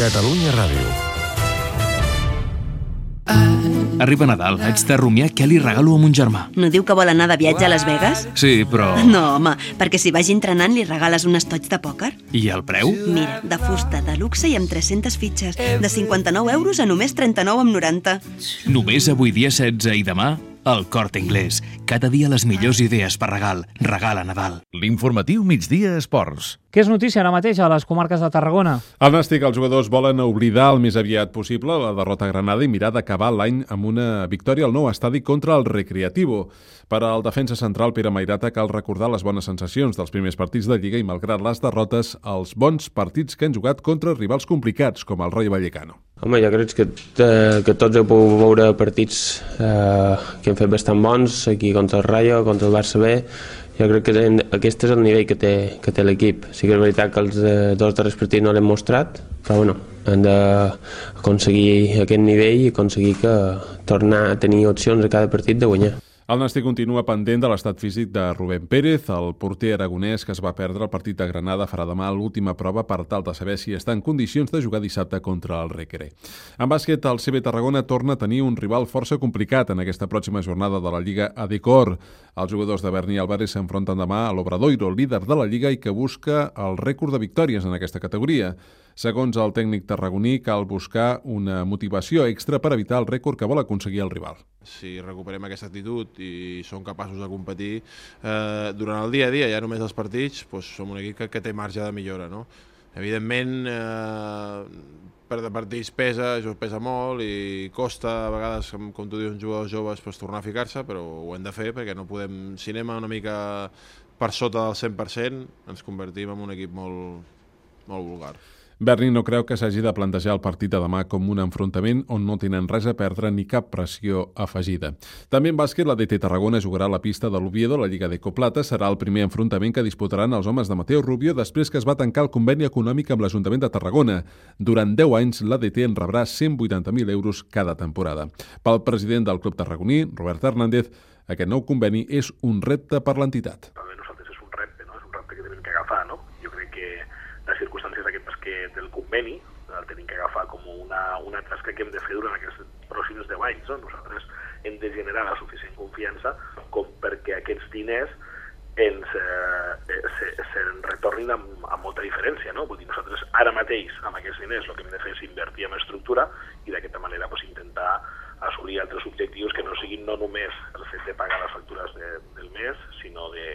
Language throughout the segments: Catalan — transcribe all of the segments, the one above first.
Catalunya Ràdio. Arriba Nadal, haig de rumiar què li regalo a mon germà. No diu que vol anar de viatge a Las Vegas? Sí, però... No, home, perquè si vagi entrenant li regales un estoig de pòquer. I el preu? Mira, de fusta, de luxe i amb 300 fitxes. De 59 euros a només 39,90. Només avui dia 16 i demà, El Corte Inglés. Cada dia les millors idees per regal. Regal a Nadal. L'informatiu Migdia Esports. Què és notícia ara mateix a les comarques de Tarragona? Al Nàstic, els jugadors volen oblidar el més aviat possible la derrota a Granada i mirar d'acabar l'any amb una victòria al nou estadi contra el Recreativo. Per al defensa central Pere Mairata cal recordar les bones sensacions dels primers partits de Lliga i, malgrat les derrotes, els bons partits que han jugat contra rivals complicats, com el Rayo Vallecano. Home, jo crec que tots heu pogut veure partits que han fet bastant bons, aquí contra el Rayo, contra el Barça B. Jo crec que aquest és el nivell que té l'equip. Sí que és veritat que els dos darrers partits no l'hem mostrat, però bueno, hem d'aconseguir aquest nivell i aconseguir tornar a tenir opcions a cada partit de guanyar. El Nàstic continua pendent de l'estat físic de Rubén Pérez, el porter aragonès que es va perdre el partit de Granada farà demà l'última prova per tal de saber si està en condicions de jugar dissabte contra el Recre. En bàsquet, el CB Tarragona torna a tenir un rival força complicat en aquesta pròxima jornada de la Lliga Adecor. Els jugadors de Berni i Álvarez s'enfronten demà a l'Obradoiro, líder de la Lliga i que busca el rècord de victòries en aquesta categoria. Segons el tècnic tarragoní, cal buscar una motivació extra per evitar el rècord que vol aconseguir el rival. Si recuperem aquesta actitud i som capaços de competir durant el dia a dia, ja només els partits, doncs som un equip que té marge de millora, no? Evidentment, perdre partits pesa molt i costa a vegades, com tu dius, jugadors joves tornar a ficar-se, però ho hem de fer perquè no podem, si anem una mica per sota del 100%, ens convertim en un equip molt vulgar. Berni no creu que s'hagi de plantejar el partit de demà com un enfrontament on no tenen res a perdre ni cap pressió afegida. També en bàsquet, la DT Tarragona jugarà a la pista de l'Oviedo, la Lliga d'Ecoplata. Serà el primer enfrontament que disputaran els homes de Mateo Rubio després que es va tancar el conveni econòmic amb l'Ajuntament de Tarragona. Durant 10 anys, la DT en rebrà 180.000 euros cada temporada. Pel president del club tarragoní, Robert Hernández, aquest nou conveni és un repte per l'entitat. Per nosaltres és un repte, no? És un repte que tenim que agafar, no? Jo crec que les circumstàncies del conveni el tenim que agafar com una tasca que hem de fer durant aquests pròxims 10 anys. No? Nosaltres hem de generar la suficient confiança com perquè aquests diners se'n retornin amb molta diferència. No? Vull dir, nosaltres ara mateix amb aquests diners el que hem de fer és invertir en estructura i d'aquesta manera intentar assolir altres objectius que no siguin no només el fet de pagar les factures del mes, sinó de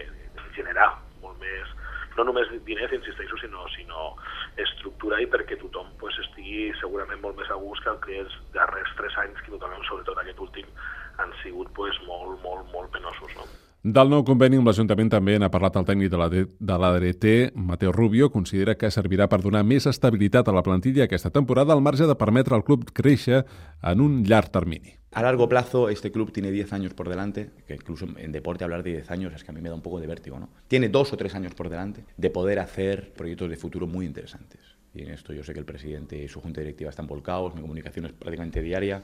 generar molt més, no només diners, insisteixo, sinó estructura i perquè tothom estigui segurament molt més a gust que els darrers 3 anys, que totalment, sobretot aquest últim, han sigut molt penosos. No? Del nou conveni amb l'Ajuntament també n'ha parlat el tècnic de la DT, Mateo Rubio. Considera que servirà per donar més estabilitat a la plantilla aquesta temporada al marge de permetre al club créixer en un llarg termini. A largo plazo, este club tiene 10 años por delante, que incluso en deporte hablar de 10 años es que a mí me da un poco de vértigo, ¿no? Tiene 2 o 3 años por delante de poder hacer proyectos de futuro muy interesantes. Y en esto yo sé que el presidente y su junta directiva están volcados, mi comunicación es prácticamente diaria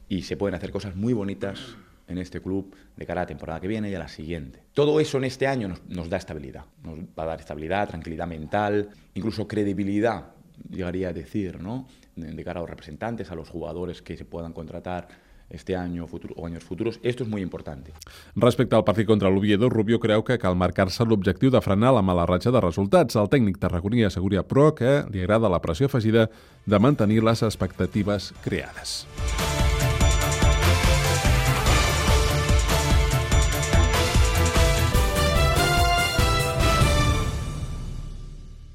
y se pueden hacer cosas muy bonitas en este club de cara a la temporada que viene y a la siguiente. Todo eso en este año nos da estabilidad. Nos va a dar estabilidad, tranquilidad mental, incluso credibilidad, llegaría a decir, ¿no? De cara a los representantes, a los jugadores que se puedan contratar este año o años futuros. Esto es muy importante. Respecte al partit contra l'Oviedo, Rubio creu que cal marcar-se l'objectiu de frenar la mala ratxa de resultats. El tècnic tarragoní assegura, però, que li agrada la pressió afegida de mantenir les expectatives creades.